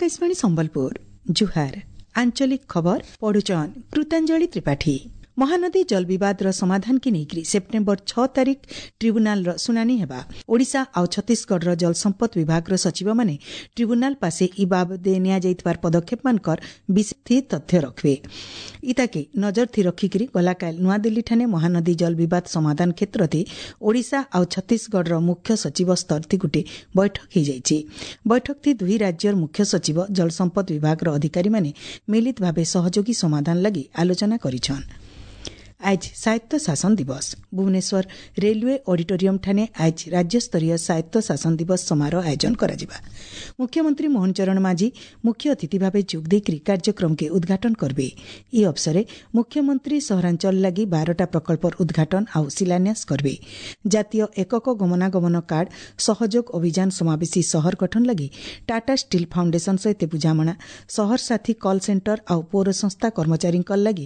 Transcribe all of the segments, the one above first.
ଆକାଶବାଣୀ ସମ୍ବଲପୁର। ଜୁହାର। ଆଞ୍ଚଳିକ ଖବର ପଢୁଛନ୍ କୃତାଞ୍ଜଳି ତ୍ରିପାଠୀ। ମହାନଦୀ ଜଳ ବିବାଦର ସମାଧାନକେ ନେଇକରି ସେପ୍ଟେମ୍ବର 6 ତାରିଖ ଟ୍ରିବ୍ୟୁନାଲର ଶୁଣାଣି ହେବା। ଓଡ଼ିଶା ଆଉ ଛତିଶଗଡ଼ର ଜଳସମ୍ପଦ ବିଭାଗର ସଚିବମାନେ ଟ୍ରିବ୍ୟୁନାଲ ପାଶେ ଇ ବାବଦେ ନିଆଯାଇଥିବାର ପଦକ୍ଷେପମାନଙ୍କର ବିଶେଷ ତଥ୍ୟ ରଖିବେ। ଇତାକେ ନଜର ଥି ରଖିକରି ଗଲାକାଲ ନୂଆଦିଲ୍ଲୀଠାନେ ମହାନଦୀ ଜଳ ବିବାଦ ସମାଧାନ କ୍ଷେତ୍ରରେ ଓଡ଼ିଶା ଆଉ ଛତିଶଗଡ଼ର ମୁଖ୍ୟ ସଚିବ ସ୍ତର ଥି ଗୋଟିଏ ବୈଠକ ହୋଇଯାଇଛି। ବୈଠକ ଥି ଦୁହି ରାଜ୍ୟର ମୁଖ୍ୟ ସଚିବ, ଜଳସମ୍ପଦ ବିଭାଗର ଅଧିକାରୀମାନେ ମିଳିତ ଭାବେ ସହଯୋଗୀ ସମାଧାନ ଲାଗି ଆଲୋଚନା କରିଛନ୍। ଆଜ ସ୍ୱାୟତ୍ତ ଶାସନ ଦିବସ। ଭୁବନେଶ୍ୱର ରେଲୱେ ଅଡିଟୋରିୟମ ଠାନେ ଆଜ ରାଜ୍ୟସ୍ତରୀୟ ସ୍ୱାୟତ୍ତ ଶାସନ ଦିବସ ସମାରୋହ ଆୟୋଜନ କରାଯିବା। ମୁଖ୍ୟମନ୍ତ୍ରୀ ମୋହନ ଚରଣ ମାଝୀ ମୁଖ୍ୟ ଅତିଥି ଭାବେ ଯୋଗ ଦେଇକରି କାର୍ଯ୍ୟକ୍ରମକେ ଉଦ୍ଘାଟନ କରିବେ। ଇ ଅବସରେ ମୁଖ୍ୟମନ୍ତ୍ରୀ ସହରାଞ୍ଚଳ ଲାଗି 12ଟା ପ୍ରକଳ୍ପର ଉଦ୍ଘାଟନ ଆଉ ଶିଳାନ୍ୟାସ କରିବେ। ଜାତୀୟ ଏକକ ଗମନାଗମନ କାର୍ଡ ସହଯୋଗ ଅଭିଯାନ, ସମାବେଶୀ ସହର ଗଠନ ଲାଗି ଟାଟା ଷ୍ଟିଲ୍ ଫାଉଣ୍ଡେସନ ସହିତ ବୁଝାମଣା, ସହର ସାଥୀ କଲ୍ ସେଣ୍ଟର ଆଉ ପୌର ସଂସ୍ଥା କର୍ମଚାରୀଙ୍କ ଲାଗି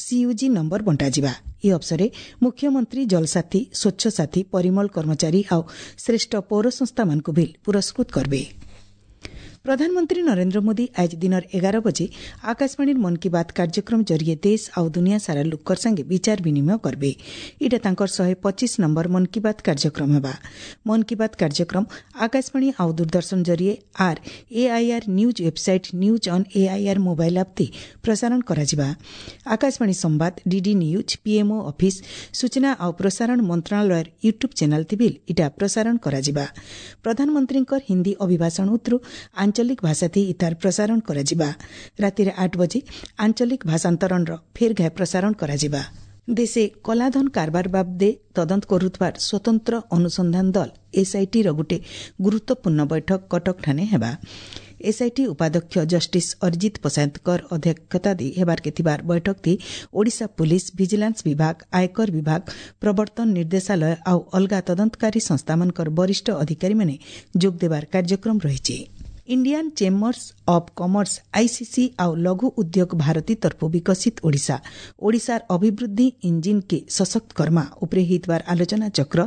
ସିୟୁଜି ନମ୍ବର ବଣ୍ଟାଯିବା। ଏହି ଅବସରରେ ମୁଖ୍ୟମନ୍ତ୍ରୀ ଜଳସାଥୀ, ସ୍ୱଚ୍ଛ ସାଥୀ, ପରିମଳ କର୍ମଚାରୀ ଆଉ ଶ୍ରେଷ୍ଠ ପୌର ସଂସ୍ଥାମାନଙ୍କୁ ବି ପୁରସ୍କୃତ କରିବେ। ପ୍ରଧାନମନ୍ତ୍ରୀ ନରେନ୍ଦ୍ର ମୋଦି ଆଜ ଦିନର 11 ବଜେ ଆକାଶବାଣୀର ମନ୍ କି ବାତ୍ କାର୍ଯ୍ୟକ୍ରମ ଜରିଏ ଦେଶ ଆଉ ଦୁନିଆ ସାରା ଲୋକର ସାଙ୍ଗେ ବିଚାର ବିନିମୟ କରିବେ। ଏଇଟା ତାଙ୍କର 125 ନମ୍ବର ମନ୍ କି ବାତ୍ କାର୍ଯ୍ୟକ୍ରମ ହେବା। ମନ୍ କି ବାତ୍ କାର୍ଯ୍ୟକ୍ରମ ଆକାଶବାଣୀ ଆଉ ଦୂରଦର୍ଶନ ଜରିଏ ଆର୍ AIR news website, news on AIR mobile app ତି ପ୍ରସାରଣ କରାଯିବା। ଆକାଶବାଣୀ ସମ୍ବାଦ, ଡିଡି ନ୍ୟୁଜ୍, ପିଏମ୍ଓ ଅଫିସ୍, ସୂଚନା ଆଉ ପ୍ରସାରଣ ମନ୍ତ୍ରଣାଳୟର ୟୁଟ୍ୟୁବ୍ ଚ୍ୟାନେଲ୍ ତି ବି ଇଟା ପ୍ରସାରଣ କରାଯିବା। ପ୍ରଧାନମନ୍ତ୍ରୀଙ୍କର ହିନ୍ଦୀ ଅଭିଭାଷଣ ଉତ୍ତରୁ ଆଞ୍ଚଳିକ ଭାଷାଥି ଇତାର ପ୍ରସାରଣ କରାଯିବା। ରାତିରେ 8 ବଜେ ଆଞ୍ଚଳିକ ଭାଷାନ୍ତରଣର ଫେର୍ ଘାଏ ପ୍ରସାରଣ କରାଯିବା। ଦେଶେ କଲାଧନ କାରବାର ବାବଦେ ତଦନ୍ତ କରୁଥିବାର ସ୍ୱତନ୍ତ୍ର ଅନୁସନ୍ଧାନ ଦଳ ଏସ୍ଆଇଟିର ଗୋଟିଏ ଗୁରୁତ୍ୱପୂର୍ଣ୍ଣ ବୈଠକ କଟକଠାନେ ହେବା। ଏସ୍ଆଇଟି ଉପାଧ୍ୟକ୍ଷ ଜଷ୍ଟିସ୍ ଅରିଜିତ ପଶାୟତଙ୍କର ଅଧ୍ୟକ୍ଷତା ଦେଇ ହେବାର୍କେ ଥିବାର ବୈଠକଟି ଓଡ଼ିଶା ପୁଲିସ୍, ଭିଜିଲାନ୍ସ ବିଭାଗ, ଆୟକର ବିଭାଗ, ପ୍ରବର୍ତ୍ତନ ନିର୍ଦ୍ଦେଶାଳୟ ଆଉ ଅଲଗା ତଦନ୍ତକାରୀ ସଂସ୍ଥାମାନଙ୍କର ବରିଷ୍ଠ ଅଧିକାରୀମାନେ ଯୋଗ ଦେବାର କାର୍ଯ୍ୟକ୍ରମ ରହିଛି। Indian chambers of commerce ICC ଆଉ ଲଘୁ ଉଦ୍ୟୋଗ ଭାରତୀ ତରଫୁ ବିକଶିତ ଓଡ଼ିଶା, ଓଡ଼ିଶାର ଅଭିବୃଦ୍ଧି ଇଞ୍ଜିନ୍କେ ସଶକ୍ତ କର୍ମା ଉପରେ ହେଇଥିବାର ଆଲୋଚନା ଚକ୍ର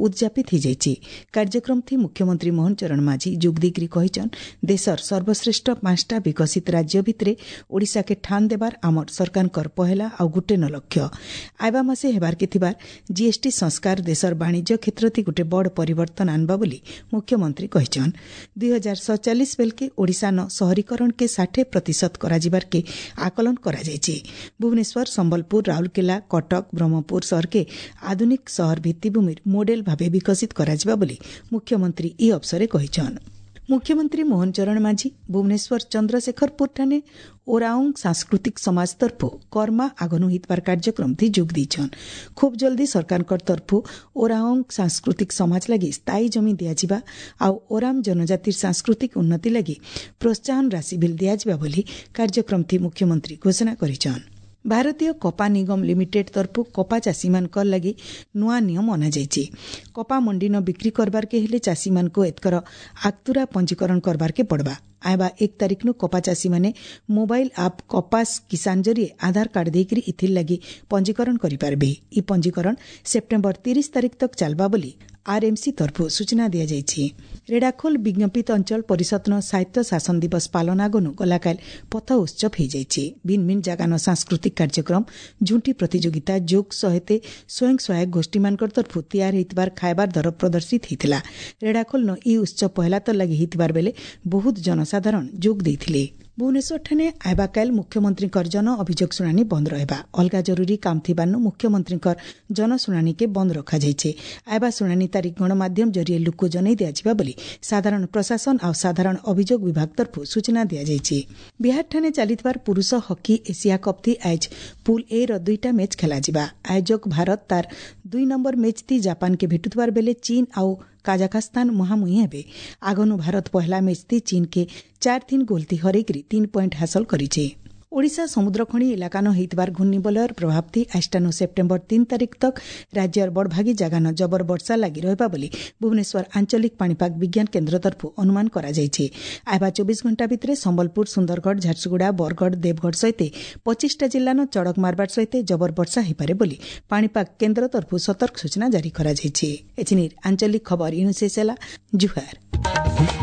ଉଦ୍ଯାପିତ ହୋଇଯାଇଛି। କାର୍ଯ୍ୟକ୍ରମ ଥି ମୁଖ୍ୟମନ୍ତ୍ରୀ ମୋହନ ଚରଣ ମାଝୀ ଯୋଗ ଦେଇକରି କହିଛନ୍, ଦେଶର ସର୍ବଶ୍ରେଷ୍ଠ 5ଟା ବିକଶିତ ରାଜ୍ୟ ଭିତରେ ଓଡ଼ିଶାକେ ଠାନ ଦେବାର ଆମର ସରକାରଙ୍କର ପହେଲା ଆଉ ଗୁଟେ ନ ଲକ୍ଷ୍ୟ। ଆଇବା ମାସେ ହେବାର୍କେ ଥିବାର ଜିଏସ୍ଟି ସଂସ୍କାର ଦେଶର ବାଣିଜ୍ୟ କ୍ଷେତ୍ରଥି ଗୋଟେ ବଡ଼ ପରିବର୍ତ୍ତନ ଆନବା ବୋଲି ମୁଖ୍ୟମନ୍ତ୍ରୀ କହିଛନ୍। 2047 ବେଲକେ ଓଡ଼ିଶାନ ସହରୀକରଣକେ 60% କରାଯିବାରକେ ଆକଳନ କରାଯାଇଛି। ଭୁବନେଶ୍ୱର, ସମ୍ବଲପୁର, ରାଉରକେଲା, କଟକ, ବ୍ରହ୍ମପୁର ସହରକେ ଆଧୁନିକ ସହର ଭିତ୍ତିଭୂମିର ମୋଡେଲ ଭାବେ ବିକଶିତ କରାଯିବା ବୋଲି ମୁଖ୍ୟମନ୍ତ୍ରୀ ଇ ଅବସରେ କହିଛନ୍। ମୁଖ୍ୟମନ୍ତ୍ରୀ ମୋହନ ଚରଣ ମାଝୀ ଭୁବନେଶ୍ୱର ଚନ୍ଦ୍ରଶେଖରପୁରଠାନେ ଓରାଉଁ ସାଂସ୍କୃତିକ ସମାଜ ତରଫୁ କର୍ମା ଆଗନୁ ହେଇଥିବାର କାର୍ଯ୍ୟକ୍ରମ ଥି ଯୋଗ ଦେଇଛନ୍। ଖୁବ୍ ଜଲ୍ଦି ସରକାରଙ୍କର ତରଫୁ ଓରାଉଁ ସାଂସ୍କୃତିକ ସମାଜ ଲାଗି ସ୍ଥାୟୀ ଜମି ଦିଆଯିବା ଆଉ ଓରାମ ଜନଜାତିର ସାଂସ୍କୃତିକ ଉନ୍ନତି ଲାଗି ପ୍ରୋତ୍ସାହନ ରାଶି ବିଲ୍ ଦିଆଯିବା ବୋଲି କାର୍ଯ୍ୟକ୍ରମ ଥି ମୁଖ୍ୟମନ୍ତ୍ରୀ ଘୋଷଣା କରିଛନ୍। ଭାରତୀୟ କପା ନିଗମ ଲିମିଟେଡ୍ ତରଫୁ କପା ଚାଷୀମାନଙ୍କର ଲାଗି ନୂଆ ନିୟମ ଅଣାଯାଇଛି। କପା ମଣ୍ଡିନ ବିକ୍ରି କରବାର୍କେ ହେଲେ ଚାଷୀମାନଙ୍କୁ ଏତକର ଆକ୍ତୁରା ପଞ୍ଜୀକରଣ କରବାର୍କେ ପଡ଼ବା। ଆଇବା 1 ତାରିଖନୁ କପା ଚାଷୀମାନେ ମୋବାଇଲ ଆପ୍ କପାସ କିଷାନ ଜରିଏ ଆଧାର କାର୍ଡ ଦେଇକରି ଇଥିର୍ ଲାଗି ପଞ୍ଜୀକରଣ କରିପାରିବେ। ଇ ପଞ୍ଜୀକରଣ ସେପ୍ଟେମ୍ବର 30 ତାରିଖ ତକ୍ ଚାଲବା ବୋଲି ଆର୍ଏମ୍ସି ତରଫରୁ ସୂଚନା ଦିଆଯାଇଛି। ରେଢ଼ାଖୋଲ ବିଜ୍ଞପିତ ଅଞ୍ଚଳ ପରିଷଦନ ସାହିତ୍ୟ ଶାସନ ଦିବସ ପାଳନ ଆଗନୁ ଗଲାକାଲ ପଥ ଉତ୍ସବ ହୋଇଯାଇଛି। ଭିନ୍ନ ଭିନ୍ନ ଜାଗାନ ସାଂସ୍କୃତିକ କାର୍ଯ୍ୟକ୍ରମ, ଝୁଣ୍ଟି ପ୍ରତିଯୋଗିତା, ଯୋଗ ସହିତ ସ୍ୱୟଂ ସହାୟକ ଗୋଷ୍ଠୀମାନଙ୍କର ତରଫରୁ ତିଆରି ହୋଇଥିବାର ଖାଇବାର ଦର ପ୍ରଦର୍ଶିତ ହୋଇଥିଲା। ରେଢ଼ାଖୋଲନ ଇ ଉତ୍ସବ ପହେଲା ତ ଲାଗି ହୋଇଥିବାର ବେଲେ ବହୁତ ଜନସାଧାରଣ ଯୋଗ ଦେଇଥିଲେ। ଭୁବନେଶ୍ୱରଠାନେ ଆଇବାକାଲ ମୁଖ୍ୟମନ୍ତ୍ରୀଙ୍କର ଜନ ଅଭିଯୋଗ ଶୁଣାଣି ବନ୍ଦ ରହିବା। ଅଲଗା ଜରୁରୀ କାମ ଥିବାରୁ ମୁଖ୍ୟମନ୍ତ୍ରୀଙ୍କର ଜନଶୁଣାଣିକେ ବନ୍ଦ ରଖାଯାଇଛି। ଆଇବା ଶୁଣାଣି ତାରିଖ ଗଣମାଧ୍ୟମ ଜରିଏ ଲୋକ ଜଣାଇ ଦିଆଯିବା ବୋଲି ସାଧାରଣ ପ୍ରଶାସନ ଆଉ ସାଧାରଣ ଅଭିଯୋଗ ବିଭାଗ ତରଫରୁ ସୂଚନା ଦିଆଯାଇଛି। ବିହାରଠାନେ ଚାଲିଥିବାର ପୁରୁଷ ହକି ଏସିଆ କପ୍ ଥି ଆଜ ପୁଲ୍ ଏ ର 2ଟା ମ୍ୟାଚ୍ ଖେଳାଯିବା। ଆୟୋଜକ ଭାରତ ତାର 2 ନମ୍ବର ମ୍ୟାଚ୍ ଥି ଜାପାନକେ ଭେଟୁଥିବାର ବେଲେ ଚୀନ ଆଉ କାଜାଖସ୍ତାନ ମୁହାଁମୁହିଁ ହେବେ। ଆଗନୁ ଭାରତ ପହଲା ମ୍ୟାଚ୍ ଥି ଚୀନକେ 4-3 ଗୋଲ ଥି ହରେଇକରି 3 ପଏଣ୍ଟ ହାସଲ କରିছে। ଓଡ଼ିଶା ସମୁଦ୍ରଖଣି ଇଲାକାନ ହେଇଥିବାର ଘୂର୍ଣ୍ଣିବଳୟର ପ୍ରଭାବ ଥି ଆଷ୍ଟାନୁ ସେପ୍ଟେମ୍ବର 3 ତାରିଖ ତକ୍ ରାଜ୍ୟର ବଡ଼ଭାଗୀ ଜାଗାନ ଜବର ବର୍ଷା ଲାଗି ରହିବା ବୋଲି ଭୁବନେଶ୍ୱର ଆଞ୍ଚଳିକ ପାଣିପାଗ ବିଜ୍ଞାନ କେନ୍ଦ୍ର ତରଫରୁ ଅନୁମାନ କରାଯାଇଛି। ଆଇବା 24 ଘଣ୍ଟା ଭିତରେ ସମ୍ବଲପୁର, ସୁନ୍ଦରଗଡ଼, ଝାରସୁଗୁଡ଼ା, ବରଗଡ଼, ଦେବଗଡ଼ ସହିତ 25ଟା ଜିଲ୍ଲାନ ଚଡ଼କ ମାରବାର ସହିତ ଜବର ବର୍ଷା ହୋଇପାରେ ବୋଲି ପାଣିପାଗ କେନ୍ଦ୍ର ତରଫରୁ ସତର୍କ ସୂଚନା ଜାରି କରାଯାଇଛି। ଏଥିନି ଆଞ୍ଚଳିକ ଖବର ଇଣୁ ଶେଷ ହେଲା। ଜୁହାର।